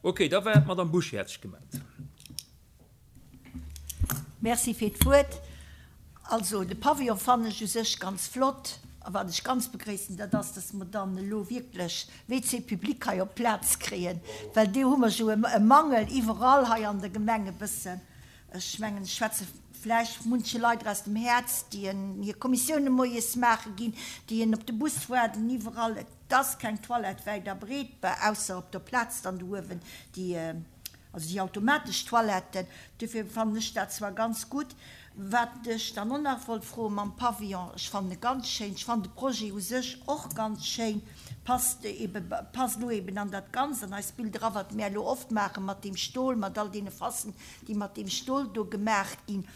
Ok, da war d'Madame Buschy hat sech gemellt. Merci fir d'Wuert. Also de Pavillon fannen ech u sech ganz flott. A wat ech ganz begréissen, dat ass, dass mer dann elo wierklech WC public hei op d'Plaz kréien, well do hu mer jo e Mangel iwwerall hei an der Gemeng e bëssen. Ech mengen, ech schwätze vläicht munche Leit aus dem Häerz, déi en hir Kommissioune moies maache ginn, déi en op de Bus waarden iwwerall. Et ass keng Toilette wäit a breet, ausser op der Plaz dann do uewen, déi Also déi automatesch Toiletten, duerfir fannen ech dat zwar ganz gutt. Wat ech dann och nach wollt froen mam Pavillon, ech fannen e ganz schéin, ech fannen de Projet u sech och ganz schéin, passt ebe, passt elo eben an dat Ganzt, an eist Bild era, wat mär elo oft maache mat deem Stol, mat all deene Fassen, déi mat deem Stol do gemaach ginn.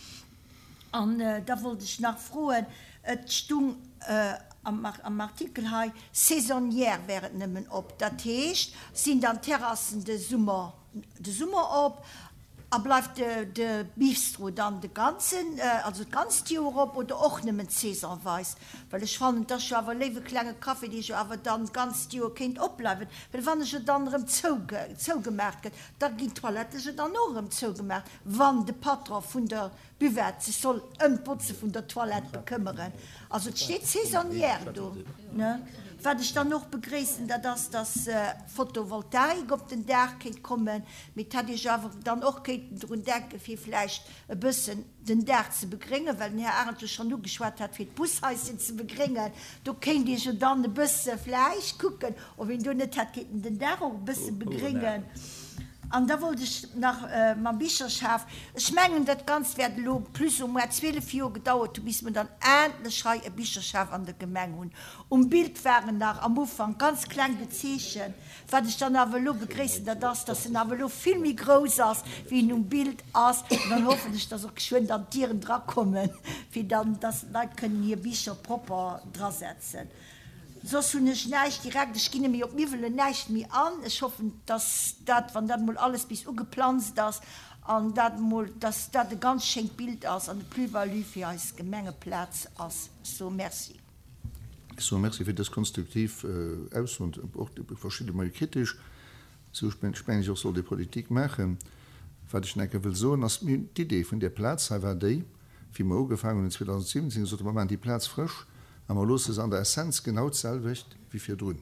An da wollt ech nach froen, et stung am Artikel hei, saisonnière wär et nëmmen op. Dat heescht, sinn dann d'Terrassen de Summer de Summer op a bleift de Bistro dann de ganzen, also d'ganzt Joer op oder och nëmmen saisonweis? Well ech fannen, et ass jo awer e léiwe klenge Café, dee jo awer dann d'ganzt Joer kéint opbleiwen. Well wann e jo dann erëm zougemaach gëtt, da ginn d'Toilette jo dann och erëm zougemaach. Wann de Patron vun der Buvette sech soll ëm d'Botze vun der Toilette bekëmmeren. Also et steet saisonnière do, ne? Wat ech dann och begréissen, dat ass, dass Photovoltaik op den Daach kéint kommen. Mee et hätt ee jo awer dann och kéinten drun denken, fir vläicht e bëssen den Daach ze begréngen, well den Här Arendt jo schonn ugeschwat hat, fir d'Bushaischen ze begréngen. Do kéint ee jo dann e bësse vläicht kucken, ob een do net hätt kéinten den Daach och e bësse begréngen. An da wollt ech nach mam Bicherschaf, ech mengen, dat Ganzt wäert elo plus ou moins 12 Joer gedauert hu bis mer dann endlech hei e Bicherschaf an der Gemeng hunn. Um Bild war en nach am Ufank ganz kleng gezeechent. Wat ech dann awer elo begréissen, dat ass, dass en awer elo vill méi grouss ass, wéi en um Bild ass. An dann hoffen ech, dass och geschwënn dann d'Dieren drakommen, fir dann, dass d'Leit kënnen hir Bicher propper drasetzen. Soss hunn ech näischt direkt. Ech ginn méi op d'Miwwelen näischt méi an. Ech hoffen, dass dat, wann dat emol alles bis ugeplanzt ass an dat emol, dass dat e ganz schéint Bild ass an e Plus-value fir eis Gemengeplaz ass. Ech soe Merci. Ech soe Merci fir dës konstruktiv Aussoen, och verschidde mol kritesch. Esou mengen ech och sollt ee Politik maachen. Wat ech nach eng Kéier wëll soen ass, mir hunn d'Idee vun där Plaz hei war déi, Wéi mer ugefaangen hunn 2017, gesot hu mer maachen déi Plaz frësch a mer loosse se an der Essenz genau d'selwecht wéi virdrun.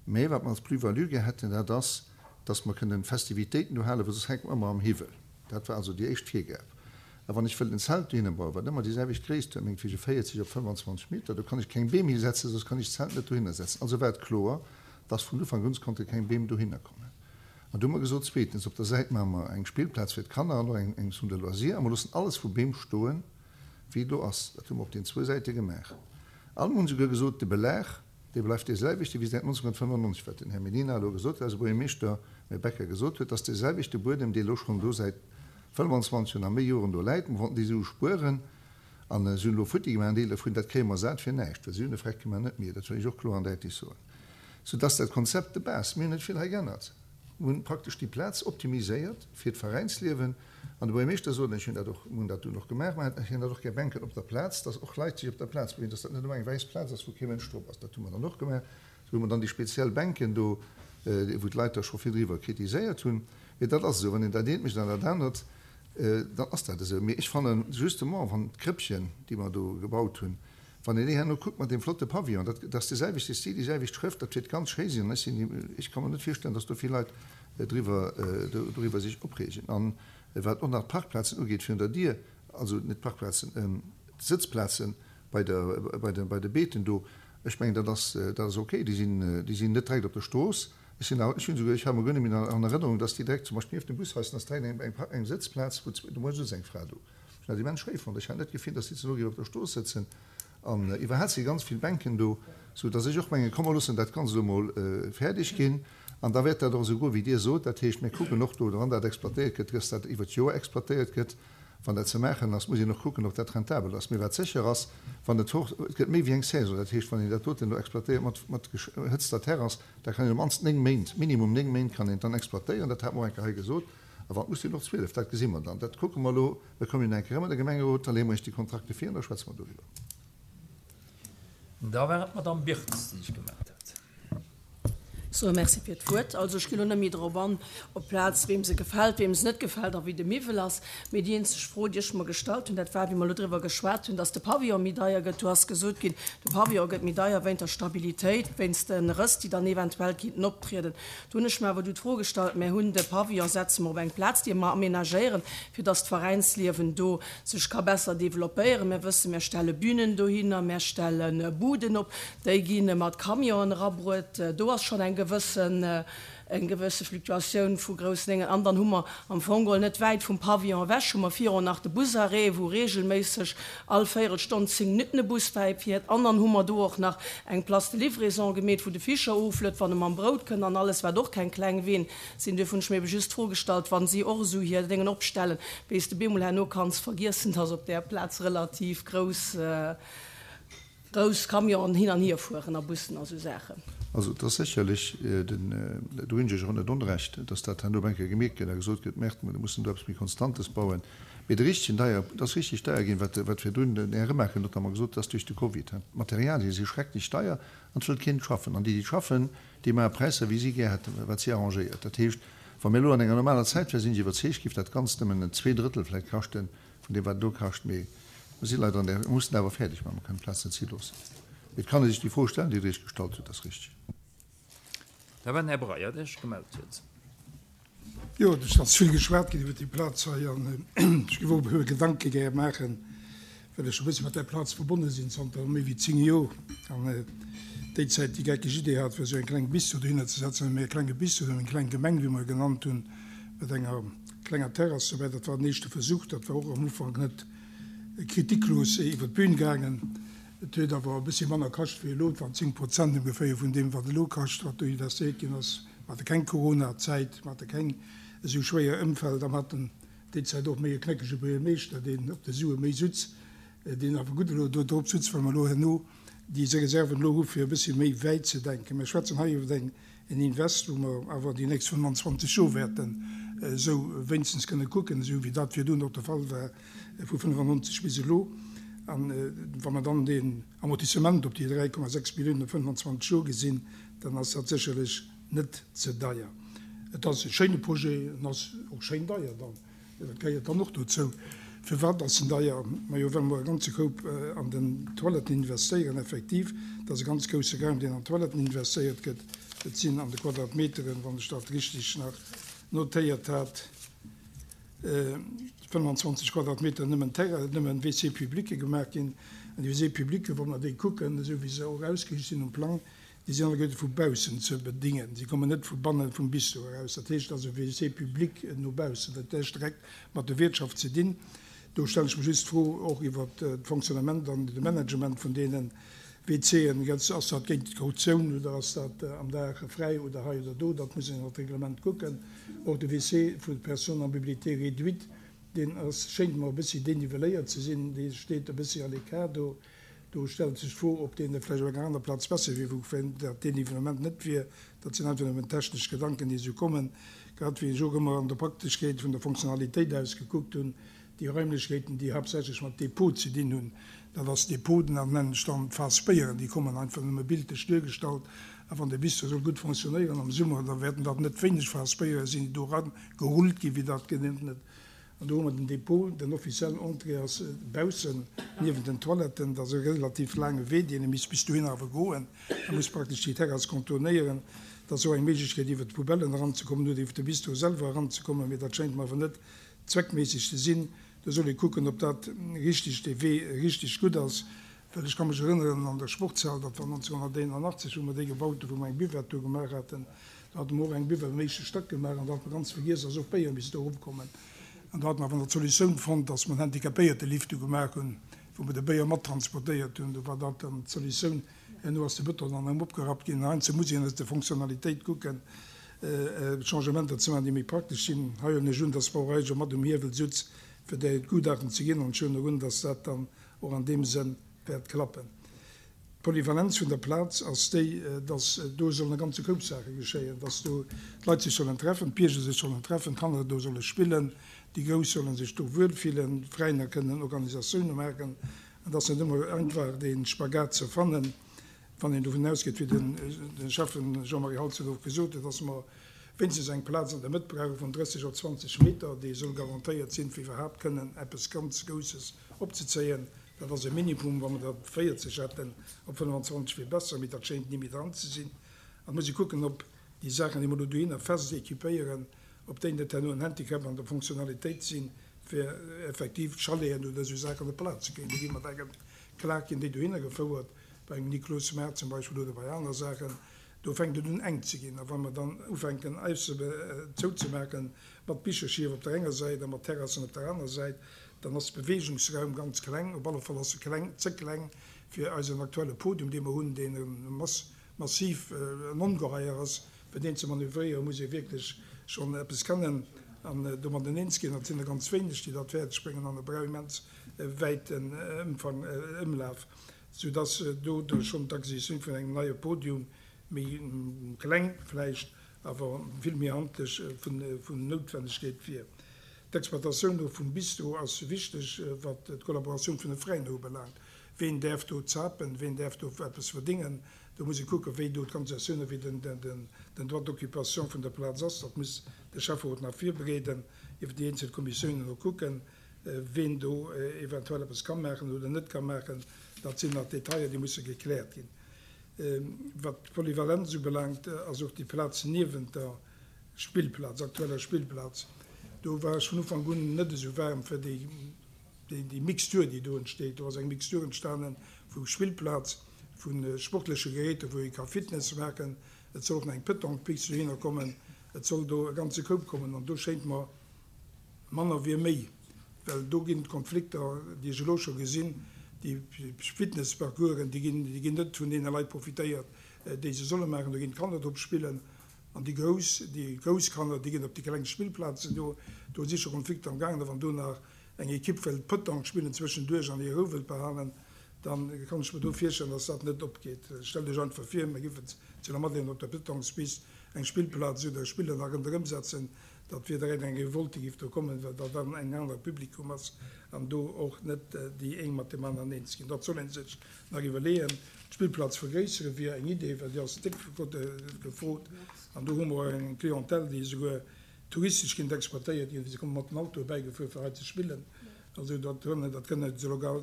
Mä wat mer als Plus-value gär hätten, dat ass, dass mer kënnen Festivitéiten do halen, well soss hänke mer ëmmer am Hiwwel. Dat war also déi éischt Virgab. A wann ech wëll en Zelt dohinner bauen, wat ëmmer déi selwecht Gréisst huet, mengt wege 40 op 25 Meter, do kann ech keng Beem hisetzen, soss kann ech d'Zelt net dohinner setzen. Also war et kloer, dass vun Ufank un konnte keng Beem dohinner kommen. An du hu mer gesot, zweetens, op der Säit maache mer eng Spillplaz fir d'Kanner an och eng Zone de loisirs a mer loossen alles vu Beem stoen, wéi et elo ass. Dat hu mer op den zwou Säite gemaach. An mer hunn esouguer gesot, de Belag, dee bleift dee selwechte wéi säit 1995, wat den Här Mellina elo gesot huet, eise Buergermeeschter, Här Becker, gesot huet, dass dee selwechte Buedem, dee elo schonn do säit 25 an a méi Joren do läit, mer wollten déi Sue spueren an se hunn elo futti gemaach, en Deel dovun, dat kréie mer sat fir näischt, well si hunn e Freck gemaach, net mir, dat wëll ech och kloer an däitlech soen. Soudass dat Konzept de base, mir hunn net vill hei geännert, mir hunn praktesch déi Plaz optimiséiert fir d'Veräinsliewen. An de Buergermeeschter sot, an ech hunn dat och, mir hunn dat dunn och gemaach, mer hätten dat och gär Bänken op der Plaz, dass och Leit sech op der Plaz bewegen, dass dat net ëmmer eng wäiss Plaz ass, wou kee Mënsch drop ass. Dat hu mer dann och gemaach. Sou hu mer dann déi speziell Bänken do, wou d'Leit da scho vill driwwer kritiséiert hunn. Mee dat ass esou, wann een dat eent mécht an dat anert, dann ass dat esou. Mee ech fannen justement, wann d'Krëppchen, déi mer do gebaut hunn, Wann een déi herno kuckt mat deem flotte Pavillon, dat ass de selwechte Stil, déi selwecht Schrëft, dat wäert ganz schéi sinn. An ech sinn, ech ka mer net virstellen, datt do vill Leit driwwer, doriwwer sech opreegen. An wat och nach d'Parkplazen ugeet virun der Dier, also net d'Parkplazen, d'Sëtzplaze bei der, bei de, bei de Beeten do, ech mengen, dat ass, dat ass okay. Déi sinn, déi sinn net direkt op der Strooss. Ech sinn awer, ech hunn esouguer, ech hat mer guer net méi an Erënnerung, datt déi direkt zum Beispill nieft dem Bushaus, ass direkt eng, eng, eng Sëtzplaz, wou, do muss eng Fra do. Ech hunn dat immens schéi fonnt. Ech hat net d'Gefill, dass déi ze no géif op der Strooss sëtzen. An iwwerhaapt si ganz vill Bänken do, sou dass ech och mengen, komm mer loossen dat Ganzt elo mol fäerdeg ginn. An da wäert dat och esou goen, wéi Dir sot. Dat heescht, mir kucken och do, wann dat exploitéiert gëtt, dass dat iwwer d'Joer exploitéiert gëtt. Wann dat ze maachen ass, muss een och kucken, ob dat rentabel ass. Mee wat sécher ass, wann et hoch, et gëtt méi wéi eng Saison. Dat heescht, wann een dat doten elo exploitéiert mat, mat gehëtzter Terrass, da kann een op d'mannst 9 Méint, minimum 9 Méint kann een et dann exploitéieren. Dat hat mer och eng Kéier hei gesot. A wann muss sinn och 12, dat gesi mer dann. Dat kucke mer elo. Mir kommen jo nach eng Kéier erëm an de Gemengerot, da leeë mer Iech déi Kontrakte vir an da schwätze mer doriwwer. Da war et d'Madame Birtz, déi sech gemellt hat. Soe Merci fir d'Wuert. Also ech ginn elo net méi drop an, op d'Plaz, weem se gefält, weem se net gefält a wéi de Miwwel ass. Mee déi eenzeg Fro, déi ech mer gestallt hunn, dat war, wéi mer elo driwwer geschwat hunn, dass de Pavillon méi deier gëtt. Do ass gesot ginn, de Pavillon gëtt méi deier wéint der Stabilitéit, wéinst de Rëss, déi dann eventuell kinnten optrieden. Do hunn ech mer awer du d'Fro gestallt, Mär hunn de Pavillon, setze mer op eng Plaz, déi mer aménagéieren, fir dass d'Veräinsliewen do sech ka besser developpéieren. Mär wëssen, mär stelle Bünen dohinner, mär stelle Buden op. Déi gi mat Camionen erabruet. Do ass schonn eng gewëssen, eng gewësse Fluktuatioun vu groussen Déngen. An dann hu mer am Fong geholl net wäit vum Pavillon ewech hu mer virun nach de Busarrêt, wou regelméisseg all Véierelstonn, 10 Minutten e Bus bäifiert. An dann hu mer do och nach eng Place de livraison gemeet, wou de Fischer oflëtt, wann e mam Brout kënnt an alles, wat och keng kleng Ween sinn. Duerfir hunn ech mir ebe just d'Fro gestallt, wa si och esou hir Déngen opstellen, wéi s de bemol herno kanns vergiessen, dass op där Plaz relativ grouss, Grouss Camionen hin an hier fueren a Bussen a sou Saachen. Also et ass sécherlech, den, do hunn ech Iech och net onrecht, datt dat herno op eng Kéier gemierkt gëtt a gesot gëtt, Merde, mir mussen do eppes méi Konstantes bauen. Mee de richtegen deier, et ass richtig deier ginn, wat, wat virdrun den Här Remakel notamment gesot huet, ass duerch de Covid. D'Materialie si schrecklech deier an et wëllt keen schaffen. An déi, déi schaffen, déi maache Präisser, wéi si gär hätten, wat si arrangéiert. Dat heescht, wa mir elo an enger normaler Zäit wären, sinn ech iwwerzeegt, géif dat Ganzt nëmmen en Zweedrëttel vläicht kaschten vun deem, wat et elo kascht. Mee Mir si leider an där, mir mussen awer fäerdeg maachen, mir kënnen d'Plaz net si loossen. Mee et kann ee sech déi Fro stellen, déi Der Iech gestallt hutt, dat ass richtig. Da war den Här Breyer, dee sech gemellt huet. Jo, et ass vill geschwat ginn iwwer déi Plaz hei an ech géif och e puer Gedanke gär maachen, well ech e bësse mat där Plaz verbonne sinn zanter méi wéi 10 Jor. An déi Zäit déi geckeg Idee hat, fir esou eng kleng Bistro dohinner ze setzen, méi e klenge Bistro, eng kleng Gemeng, wéi mer e genannt hunn, mat enger klenger Terrass dobäi. Dat war den éischte Versuch, dat war och am Ufank net kritiklos iwwer d'Bün gaangen. Et huet awer e bëssi manner kascht wéi elo. Et waren 10 Prozent ongeféier vun deem, wat elo kascht, wat do investéiert ginn ass. Mer hate keng Corona-Zäit, mer hate keng esou schwéier Ëmfeld a mer haten déi Zäit och méi e knéckege Buergermeeschter, deen op de Sue méi sutz, deen awer gutt elo do drop sutz, well mer elo herno déi Reserven elo hu fir e bëssi méi wäit ze denken. Mer schwätzen hei iwwer eng En Invest, wou mer awer déi nächst 25 Joer wäerten esou wéinstens kënne kucken, esou wéi dat virdrun och de Fall war vu 95 bis elo. A wa mer dann deen Amortissement op déi 3,6 Milliounen op 25 Joer gesinn, dann ass dat sécherlech net ze deier. Et ass e schéine Projet, en ass och schéin deier dann. Dat gehéiert dann och dozou. Firwat ass en deier? Majo, well mer e ganze Koup an den Toiletten investéieren. Effektiv, et ass e ganz grousse Raum, deen an d'Toiletten investéiert gëtt. Et sinn an de Quadratmeteren, wann ech dat richtig nach notéiert hat, 25 Quadratmeter nëmmen Terrain, nëmmen WC-publicë gemaach ginn. An déi WC-publicë, wa mer déi kucken, esou wéi se och ausgeriicht sinn um Plang, Déi sinn alleguerte vu baussen ze bedingen. Si kommen net vu banne vum Bistro eraus. Dat heescht also WC public no baussen. Dat huet näischt direkt mat der Wiertschaft ze dinn. Do stellen ech mer just d'Fro och iwwert d'Fonctionnement an de Management vun deene WCen. Ass dat géint d'Kautioun oder ass dat am Dag fräi oder hei oder do? Dat muss een an d'Reglement kucken. Och de WC vu Personnes à mobilité réduite, deen ass, schéngt mer e bëssi dénivelléiert ze sinn. Dee steet e bëssi à l'écart do. Do stellt sech d'Fro, ob deen net vläicht op enger aner Plaz besser wier, wou dat Dénivellement net wier. Dat sinn einfach nëmmen technesch Gedanken, déi esou kommen. Grad wéi ech och ëmmer an der Prakteschkeet vun der Fonctionnalitéit aus gekuckt hunn, déi Raimlechkeeten, déi haaptsächlech mat Dépôt ze dinn hunn, dat ass Dépôt, dat nennen ech dann d'Faass Béieren, déi kommen einfach nëmme bildlech duergestallt. A wann dee Bistro soll gutt fonctionnéieren am Summer, da wäerten dat net wéineg Faass Béiere sinn, déi do eragerullt ginn, wéi dat genannt gëtt. An do hu mer den Dépôt, den offiziellen Entrée ass baussen niewent den Toiletten. Dat ass e relativ laange Wee, deen ee misst bis dohinner awer goen. E muss praktesch déi Terrass contournéieren. Dat ass och eng Méiglechkeet, iwwer d'Poubellen eranzekommen oder iwwer de Bistro selwer eranzekommen, mee dat schéngt mer awer net zweckméisseg ze sinn. Do soll ee kucken, ob dat richteg, dee Wee richteg gutt ass. Well ech ka mech erënneren an der Sportshal, dat war 1981, wou mer déi gebaut hunn, wou mer eng Buvette do gemaach haten, do hate mer och eng Buvette am éischte Stack gemaach an do hat mer ganz vergiess, dass och Béier misst do eropkommen. An do hate mer awer nach d'Solutioun fonnt, dass mer en Handicapéiertelift do gemaach hunn, wou mer de Béier mattransportéiert hunn. Do war dat dann d'Solutioun. Herno ass de Bëton dann erëm opgerappt ginn. Heiansdo muss een aus der Fonctionnalitéit kucken, Changementer ze maachen, déi méi praktesch sinn. Hei huelen ech un, dass d'Brauerei scho mat um Hiewel sutz, fir där d'Gutachten ze ginn. An ech huelen och un, dass dat dann och an deem Sënn wäert klappen. D'Polyvalenz vun der Plaz ass déi, dass do sollen e ganze Koup Saache geschéien, dass do d'Leit sech sollen treffen, d'Bierger sech sollen treffen, d'Kanner do solle spillen, déi Grouss solle sech do wuelfillen, d'Veräiner kënnen Organisatioune maachen. Et ass net ëmmer einfach dee Spagat ze fannen. Wann een dovun ausgeet, wéi de Schäffen Jean-Marie Halsdorf och gesot huet, dass mer wéinstens eng Plaz an der Mëtt brauche vun 30 op 20 Meter, déi soll garantéiert sinn, fir iwwerhaapt kënnen eppes ganz Grousses opzezéien. Dat ass e Minimum. Wa mer der 40 hätten op 25 wier besser, mee dat schéint ni méi dran ze sinn. An et muss ee kucken, ob déi Saachen, déi mer elo dohinner fest équipéieren, ob déi net herno en Handicap an der Fonctionnalitéit sinn, fir effektiv Chaleten oder esou Saachen op d'Plaz ze kréien. Do gi mat engem Klag ginn déi dohinner gefouert. Bei engem Niklosmaart zum Beispill oder bei aner Saachen, do fänkt et un enk ze ginn. A wa mer dann ufänken eis zouzemaachen mat Bicherschief op der enger Säit a mat Terrassen op der aner Säit, dann ass de Beweegungsraum ganz kleng. Op alle Fall ass e kleng, ze kleng fir eisen aktuelle Podium, dee mer hunn, deen e massiv en Ongeheier ass. Fir deen ze manövréieren, muss ee wierklech schonn eppes kennen an domadden eens ginn. Dat sinn der ganz wéineg, déi dat fäerdeg bréngen an e brauch immens wäiten Ëmfang, Ëmlaf. sou dass do schonn d'Acquisitioun vun engem neie Podium, méi kleng vläicht, awer vill méi handlech vun Noutwennegkeet wier. D'Exploitatioun och vum Bistro ass wichteg, wat d'Kollaboratioun vun de Fräien ubelaangt. Ween däerf do zapen, ween däerf do eppes verdéngen? Do muss ee kucken, wéi do d'Organisatioun a wéi den Droit d'occupation vun der Plaz ass. Dat muss de Schäfferot nach virbereeden, iwwer déi eenzel Kommissiounen och kucken. Ween do eventuell eppes ka maachen oder net ka maachen, dat sinn nach Detailler, déi musse gekläert ginn. Wat d'Polyvalenz ubelaangt, ass och déi Plaz niewent der Spillplaz, aktueller Spillplaz, do war ech vun Ufank un net esou waarm fir déi Mixtur, déi do entsteet. Do ass eng Mixtur entstane vu Spillplaz, vu sportleche Geräter, wou ee ka Fitness maachen. Et soll och nach eng Petanque-Piste dohinner kommen. Et soll do e ganze Koup kommen an do schéint mer, Manner wier méi, well do ginn d'Konflikter, déi ech elo scho gesinn, déi Fitnessparcoursen, déi ginn, déi ginn net vun deene Leit profitéiert, déi se solle maachen. Do ginn d'Kanner drop spillen an déi Grouss, déi grouss Kanner, déi ginn op déi kleng Spillplazen. Do, do si scho Konflikter am gaangen. A wann do nach eng Ekipp wëllt Petanque spillen zwëschenduerch an hir Rou wëllt behalen, da kann ech mer do virstellen, dass dat net opgeet. Stellt Iech einfach vir, mir géifen zu Lamadelaine op der Petanquespist eng Spillplaz oder e Spiller nach ronderëm setzen, Dat wier direkt eng Revolte giff do kommen, well dat dann eng anere Publikum ass an do och net déi éng mat deem aneren eens ginn. Dat soll een sech nach iwwerleeën. D'Spillplaz vergréissere wier eng Idee, well déi ass déck gefrot an do hu mer och eng Clientèle, déi esouguer touristesch kinnt exploitéiert ginn, se komme mat den Autoe bäigefuer fir hei ze spillen. Also dat kënne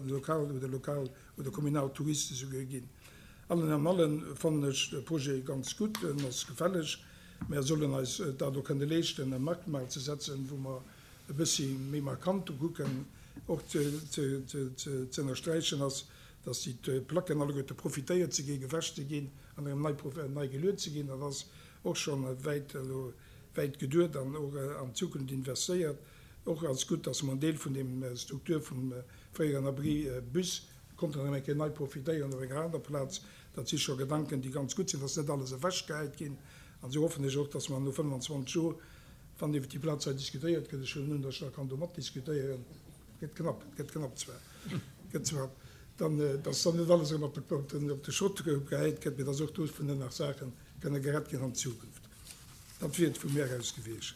lokal oder lokal oder kommunal Touriste souguer ginn. Allen an allen fannen ech de Projet ganz gutt, en ass gefälleg. Mär sollen eis dat och kënne leeschten, e Merkmal ze setzen, wou mer e bëssi méi markant do kucken. Och ze ënnersträichen ass, dass déi Placken alleguerte profitéiert ze ginn, gewäsch ze ginn an erëm nei geluet ze ginn. Dat ass och scho wäit elo wäit geduet an och an d'Zukunft investéiert. Och ass gutt, dass mer en Deel vun deem Struktur vum fréieren Abri Bus konnten erëm eng Kéier nei profitéieren op enger aner Plaz. Dat si scho Gedanken, déi ganz gutt sinn, dass net alles ewechgehäit ginn. An esou hoffen ech och, dass mer no 25 Joer, wann iwwert déi Plaz hei diskutéiert gëtt, ech huelen un, dass ech da kann do matdiskutéieren, gëtt knapp, gëtt knapp zwar, gëtt zwar, dann, dass dann net alles erëm op de, op de Schrott gehäit gëtt, mee dass och dovunner nach Saache kënne gerett ginn an Zukunft. Dat wier et vu mär aus gewiescht.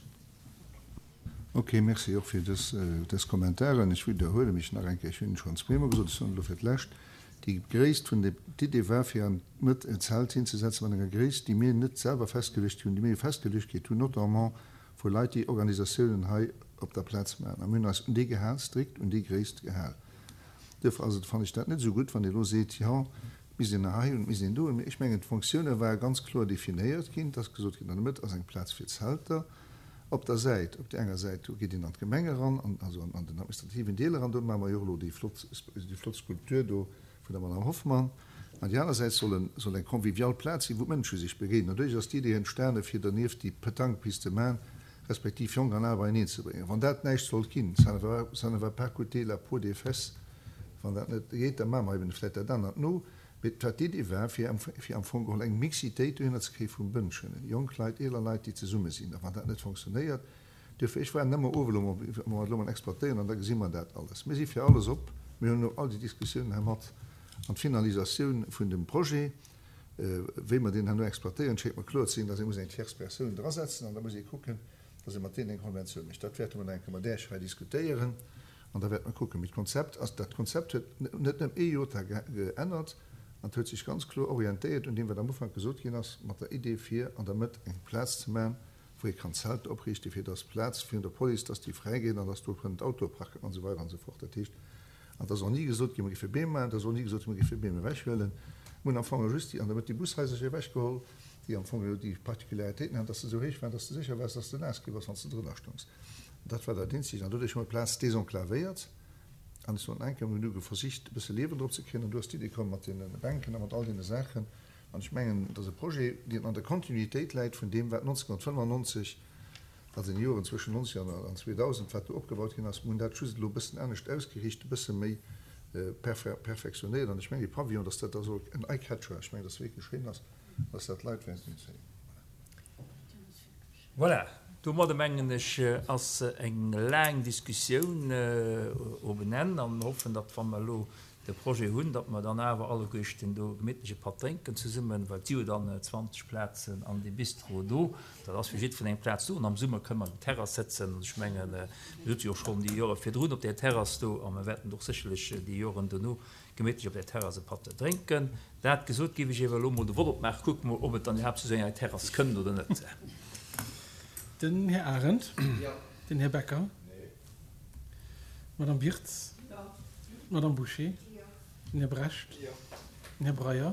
Ok, merci och fir dës, dës Kommentaren. Ech widderhuele mech nach eng Kéier, ech hunn et schonn zweemol gesot, ech soen et elo fir d'lescht, Déi Gréisst vun de, d'Idee war fir an d'Mëtt en Zelt hinzesetzen mat enger Gréisst, déi mir net selwer festgeluecht hunn, déi mir festgeluecht kritt hunn, notamment vu Leit, déi Organisatiounen hei op der Plaz maachen. A mir hunn eis un déi gehal, strikt un déi Gréisst gehal. Duerfir ass et, fannen ech dat net esou gutt, wann Dir elo seet, jo, et misst een hei hunn, et misst een do hunn. Ech mengen, d'Fonctioune ware ganz kloer definéiert ginn. Et ass gesot ginn, an der Mëtt ass eng Plaz fir Zelter. Op der Säit, op där enger Säit, do geet een an d'Gemeng eran, an, also an den administrativen Deel eran, do maache mer jo och elo déi flott, déi flott Skulptur do vun der Madame Hoffmann. An déi aner Säit soll en, soll eng convivial Plaz sinn, wou d'Mënsche sech begéinen. An doduerch ass d'Idee entstane fir dernieft déi Petanque-Piste ze maachen, respektiv Jonk an Al beieneen ze bréngen. Wann dat näischt sollt ginn, ça ne va, ça ne va pas coûter la peau des fesses, wann dat net geet, da maache mer eben vläicht dat anert no. Mee wat d'Iddi war, fir am, fir am Fong geholl eng Mixitéit dohinner ze kréie vu Mënschen, jonk Leit, eeler Leit, déi zesumme sinn. A wann dat net fonctionnéiert, duerfir, ech waarden ëmmer of elo mol, wa mer et elo mol exploitéieren an da gesi mer dat alles. Mir si fir alles op. Mir hunn elo all déi Diskussiounen hei mat an d'Finalisatioun vun dem Projet, wéi mer deen herno exploitéieren, schéngt mer kloer ze sinn, dass ee muss eng tierce Persoun drasetzen an da muss ee kucken, dass ee mat deenen eng Konventioun mécht. Dat wäerte mer nach eng Kéier mat Äech hei diskutéieren. An da wäerte mer kucken. Mee d'Konzept ass, dat Konzept huet net nëmme ee Jota geännert. An et huet sech ganz kloer orientéiert un deem, wat am Ufank gesot ginn ass, mat der Idee fir an der Mëtt eng Plaz ze maachen, wou ee kann Zelter opriichten, fir dass d'Plaz virun der Police, dass déi fräi gétt an dass do kënnen d'Autoe parken an esou weider an esou fort. Dat heescht, an et ass och ni gesot ginn, mer géife Beem maachen, et ass och ni gesot ginn, mer géife Beem ewechhuelen. Mir hunn am Fong just déi an der Mëtt déi Bushaisercher ewechgeholl, déi am Fong jo déi Particularitéiten haten, dass se esou héich waren, dass de sécher waars, dass de naass gi bass, wann s de drënner stoungs. Dat war dat Eenzegt. An doduerch hu mer d'Plaz desenclavéiert. An ech soen eng Kéier, mir hunn du versicht, e bësse Liewen drop ze kréien. An du ass d'Idee komm mat deene Bänken a mat all deene Saachen. An ech mengen, et ass e Projet, deen an der Kontinuitéit läit vun deem, wat 1995, also an den Joren zwëschen 90 an 2000, wat do opgebaut ginn ass. Mir hunn dat just elo e bëssen anescht ausgeriicht, e bësse méi perfektionéiert. An ech mengen, dee Pavillon, dass dat also en Eye-catcher, ech mengen, dass e wierklech schéin ass, dass dat d'Leit wäerten unzéien. Voilà. Domadde mengen ech, ass eng laang Diskussioun op en Enn a mir hoffen, datt, wa mer elo de Projet hunn, datt mer dann awer alleguerten do gemittlech e Patt drénken zesummen, well et si jo dann 20 Plazen an deem Bistro do. Dat ass fir jiddwereen eng Plaz do an am Summer kënne mer op der Terrass sëtzen. An ech mengen, mir sutze jo schonn déi Jore virdrun op där Terrass do a mir wäerten och sécherlech déi Joren dono Gemittlech op der Terrass e Patt drénken. Dat gesot, géif ech iewer elo mol de Vott opmaachen. Kucke mol, ob et dann iwwerhaapt zu esou enger Terrass kënnt oder net. Den Här Arendt. Den Här Becker. D'Madame Wirtz. D'Madame Bouché. Den Här Brecht. Den Här Breyer.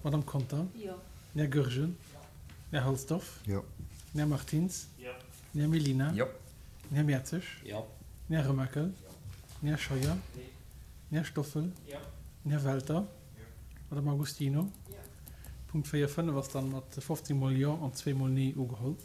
D'Madame Conter. Den Här Goergen. Den Här Halsdorf. Den Här Martins. Den Här Mellina. Den Här Mertzig. Den Här Remakel. Den Här Scheuer. Den Här Stoffel. Den Här Welter. D'Madame Agostino. Punkt 4, 5 ass dann mat 15 mol Jo an zweemol Nee ugeholl.